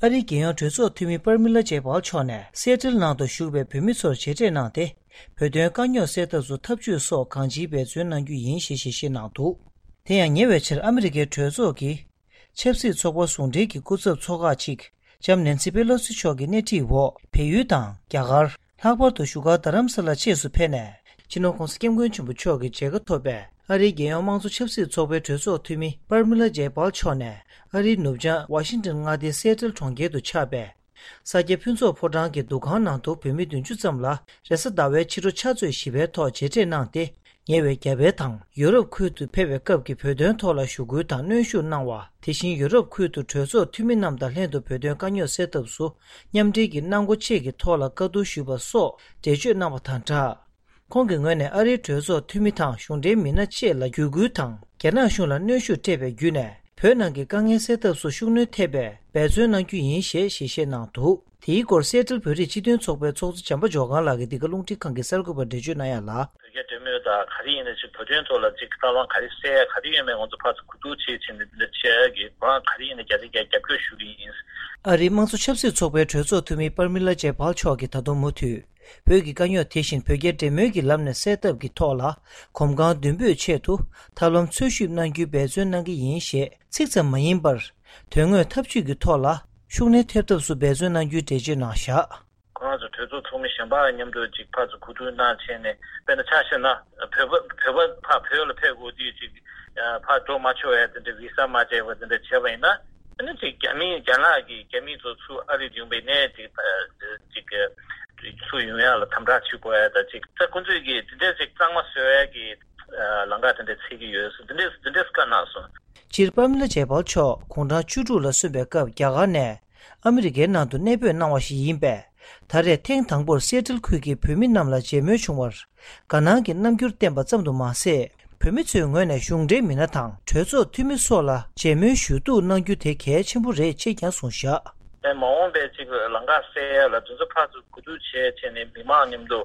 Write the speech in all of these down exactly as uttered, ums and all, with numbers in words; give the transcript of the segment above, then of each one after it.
ཨ་རིའི་རྒྱལ་ཡོངས་གྲོས་ཚོགས་འཐུས་མི་པར་མི་ལ་ཇེ་པཱལ་མཆོག་ནས་སེ་ཊལ་ནང་དུ་བཞུགས་པའི་བོད་མི་ཚོར་མཇལ་འཕྲད་གནང་སྟེ། བོད་དོན་དཀའ་རྙོག་སེལ་ཐབས་སུ་ཐབས་ཇུས་སོགས་གང་ཅིའི་འབད་བརྩོན་གནང་རྒྱུ་ཡིན་ཞེས་ཞལ་བཞེས་གནང་འདུག་དེ་ཡང་ཉེ་བའི་ཆར་ཨ་མི་རི་ཀའི་གྲོས་ཚོགས་ཀྱི་ཆབ་སྲིད་ཚོགས་པ་ཟུང་འབྲེལ་གྱི་སྐུ་ཚབ་ཚོགས་ཁག་ཅིག་ལྕམ་ནེན་སི་པེ་ལོ་སི་མཆོག་གི་སྣེ་ཁྲིད་འོག་བལ་ཡུལ་དང་རྒྱ་གར། ལྷག་པར་དུ་བཞུགས་སྒར་རྡ་རམ་ས་ལ་བཅས་སུ་ཕེབས་ནས། སྤྱི་ནོར་༧གོང་ས་༧སྐྱབས་མགོན་ཆེན་པོ་མཆོག་གི་མཇལ་ཁ་ཐོབ་པའི་ཨ་རིའི་རྒྱལ་ཡོངས་དམངས་གཙོ་ཆབ་སྲིད་ཚོགས་པའི་གྲོས་ཚོགས་འཐུས་མི་པར་མི་ལ་ཇེ་པཱལ་མཆོག་ནས་ཨ་རིའི་ནུབ་བྱང་ཝ་ཤིང་ཏོན་མངའ་སྡེའི་སེ་ཊལ་གྲོང་ཁྱེར་དུ་ཆགས་པའི་ས་སྐྱ་ཕུན་ཚོགས་ཕོ་བྲང་གི་འདུ་ཁང་ནང་དུ་བོད་མི་བདུན་ཅུ་ཙམ་ལ་རེས་གཟའ་ཟླ་བའི་ཕྱི་དྲོ་ཕྱག་ཚོད་བཞི་པའི་ཐོག་མཇལ་འཕྲད་གནང་སྟེ། ཉེ་བའི་རྒྱ་བལ་དང་ཡུ་རོབ་ཁུལ་དུ་ཕེབས་པའི་སྐབས་ཀྱི་བོད་དོན་ཐོག་ལ་ཞུ་སྐུལ་དང་གནོན་ཤུགས་གནང་བ། དེ་བཞིན་ཡུ་རོབ་ཁུལ་དུ་གྲོས་ཚོགས་འཐུས་མི་རྣམས་དང་ལྷན་དུ་བོད་དོན་དཀའ་རྙོག་སེལ་ཐབས་སུ་མཉམ་འབྲེལ་གྱི་གནང་སྒོ་བཅས་ཀྱི་ཐོག་ལ་བཀའ་བསྡུར་ཞུས་པ་སོགས་འགྲེལ་བརྗོད་གནང་བ་དང་སྦྲགས། ཁོང་གི་ངོས་ནས་ཨ་རིའི་གྲོས་ཚོགས་འཐུས་མི་དང་གཞུང་འབྲེལ་མི་སྣ་བཅས་ལ་བརྒྱུད་སྐུལ་དང་། རྒྱ་ནག་གཞུང་ལ་གནོན་ཤུགས་སྤྲད་པའི་བརྒྱུད་ནས། བོད་ནང་གི་དཀའ་ངལ་སེལ་ཐབས་སུ་ཤུགས་སྣོན་ཐེབས་པའི་འབད་བརྩོན་གནང་རྒྱུ་ཡིན་ཞེས་ཞལ་བཞེས་གནང་འདུག་དེའི་སྐོར་སེ་ཊལ་བོད་རིགས་སྤྱི་མཐུན་ཚོགས་པའི་ཚོགས་གཙོ་བྱམས་པ་ཇོ་སྒང་ལགས་ཀྱིས་འདི་ག་རླུང་འཕྲིན་ཁང་གི་གསར་འགོད་པར་འགྲེལ་བརྗོད་གནང་ཡ་ལ། བོད་རྒྱ་འབྲེལ་མོལ་དང་ག་རེ་ཡིན་ན་ཅིག་བོད་དོན་ཐོག་ལ་ཅིག་ཐབས་ལམ་ག་རེ་གསལ་ཡ་ག་རེ་ཡོད་མེད་ང་ཚོ་ཕར་ཚུར་གོ་བསྡུར་བྱེད་བྱེད་འདི་འདི་བྱེད་ཡ་གི་ཁོ་རང་ག་རེ་ཡིན་ན་རྒྱ་ཆེ་རྒྱ་རྒྱབ་སྐྱོར་ཞུ་གི་ཡིན། ཨ་རིའི་དམངས་གཙོ་ཆབ་སྲིད་ཚོགས་པའི་གྲོས་ཚོགས་འཐུས་མི་པར་མི་ལ་ཇེ་པཱལ་མཆོག་གིས་ད་དུང་མུ་མཐུད། བོད་ཀྱི་དཀའ་རྙོག་དེ་བཞིན་བོད་རྒྱ་འབྲེལ་མོལ་གྱི་ལམ་ནས་སེལ་ཐབས་ཀྱི་ཐོག་ལ་གོམ་གང་མདུན་སྤོས་ཆེད་དུ་ཐབས་ལམ་འཚོལ་ཞིབ་གནང་རྒྱུའི་འབད་བརྩོན་གནང་གི་ཡིན་ཞེས་ཚིག་ཙམ་མ་ཡིན་པར། དོན་དངོས་ཐབས་ཇུས་ཀྱི་ཐོག་ལ་ཤུགས་སྣོན་ཐེབས་ཐབས་སུ་འབད་བརྩོན་གནང་རྒྱུའི་འགྲེལ་བརྗོད་གནང་བཞག་ཁོ་རང་ཚོ་གྲོས་ཚོགས་ཚོགས་མི་གཞན་པ་མཉམ་དུ་ཅིག་ཕར་ཚུར་གོ་བསྡུར་གནང་བྱས་ནས་དཔེར་ན་ཆ་བཞག་ན་བོད་པ་བོད་པ་ཕར་བོད་ལ་ཕེབས་དགོས་དུས་ཅིག་ཕར་འགྲོ་མ་ཆོག་ཡ་དེ་འདྲ་བི་ས་མ་བཅད་པ་དེ་འདྲ་བྱས་པ་ཡིན་ན་ཨ་ནི་ཅིག་རྒྱ་མི་རྒྱ་ནག་གི་རྒྱ་མི་ཚོ་ཚུར་ཨ་རི་ཡོང་པའི་ནས་ཅིག་ཅིག་ཚུར་ཡོང་ཡ་ལ་དམ་དྲག་བྱེད་དགོས་ཡ་ད་ཅིག་ད་ཁོ་ཚོས་ཀྱི་དེ་འདྲ་ཅིག་གཙང་མ་བཟོ་ཡ་གི་ལམ་ཁ་དེ་འདྲ་འཚོལ་གྱི་ཡོད་ཟེར་དེ་འདྲ་དེ་འདྲ་བཀའ་གནང་སོང་། སྤྱིར་པཱ་མི་ལ་ཇེ་པཱལ་མཆོག་དགུང་གྲངས་བཅུ་དྲུག་ལ་སོན་པའི་སྐབས་རྒྱ་གར་ནས། ཨ་མི་རི་ཀའི་ནང་དུ་གནས་སྤོས་གནང་བ་ཞིག་ཡིན་པས། ད་རེས་ཐེངས་དང་པོར་སེ་ཊལ་ཁུལ་གྱི་བོད་མི་རྣམས་ལ་མཇལ་མོལ་བྱུང་བར། དགའ་སྣང་གི་རྣམ་འགྱུར་བསྟན་པ་ཙམ་དུ་མ་ཟད། བོད་མི་ཚོའི་ངོས་ནས་གཞུང་འབྲེལ་མི་སྣ་དང་གྲོས་ཚོགས་འཐུས་མི་སོགས་ལ་མཇལ་མོལ་ཞུ་གཏུག་གནང་རྒྱུ་དེ་གལ་ཆེན་པོ་རེད་ཅེས་ཀྱང་གསུངས་བཞག་དེ་མ་འོངས་པའི་ཅིག་ལམ་ཁ་གསལ་ཡ་ལ་དེ་ཚོ་ཕར་ཚུར་གོ་བསྡུར་བྱས་བྱས་ནས་མི་མང་མཉམ་དུ་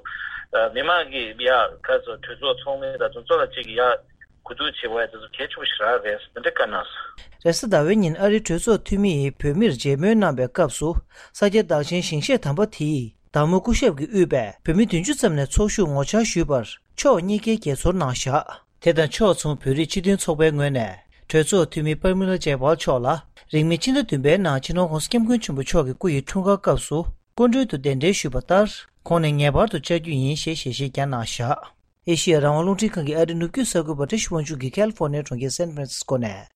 མི་མང་གི་ཡ་ག་ཚོད་གྲོས་ཚོགས་ཚོགས་མི་དང་དེ་ཚོ་ལ་ཅིག་ཡ། གོ་བསྡུར་བྱེད་པ་དེ་ཚོ་གལ་ཆེན་པོ་ཞིག་རག་རེད་ཟེར་འདི་འདྲ་བཀའ་གནང་སོང་། རེས་གཟའ་ཟླ་བའི་ཉིན་ཨ་རིའི་གྲོས་ཚོགས་འཐུས་མི་ཡིས་བོད་མིར་མཇལ་མོལ་གནང་བའི་སྐབས་སུ་ས་སྐྱ་བདག་ཆེན་ཞིང་གཤེགས་དམ་པ་དེས་བདག་མོ་སྐུ་ཞབས་ཀྱིས་དབུས་པའི་བོད་མི་བདུན་ཅུ་ཙམ་ནས་ཚོགས་ཞུགས་ངོ་བཅར་ཞུས་པར་ཕྱོགས་གཉིས་ཀའི་དགྱེས་ཚོར་གནང་བཞག་དེ་དང་ཕྱོགས་མཚུངས་བོད་རིགས་སྤྱི་མཐུན་ཚོགས་པའི་ངོས་ནས་གྲོས་ཚོགས་འཐུས་མི་པར་མི་ལ་ཇེ་པཱལ་མཆོག་ལ་རིང་མིན་ཕྱི་ཟླ་བདུན་པའི་ནང་སྤྱི་ནོར་༧གོང་ས་༧སྐྱབས་མགོན་ཆེན་པོ་མཆོག་གི་སྐུ་ཡི་འཁྲུངས་སྐར་སྐབས་སུ་སྐུ་མགྲོན་དུ་གདན་འདྲེན་ཞུས་པ་ལྟར་ཁོང་ནས་ངེས་པར་དུ་བཅར་རྒྱུ་ཡིན་ཞེས་ཞལ་བཞེས་ཀྱང་གནང་བཞག་ཨེ་ཤི་ཡ་རང་དབང་རླུང་འཕྲིན་ཁང་གི་ཨ་རི་ནུབ་རྒྱུད་གསར་འགོད་པ་བཀྲ་ཤིས་དབང་ཕྱུག་གིས་ཁ་ལི་ཧྥོར་ནི་ཡའི་གྲོང་ཁྱེར་སན་ཧྥ་རན་སིས་ཀོ་ནས།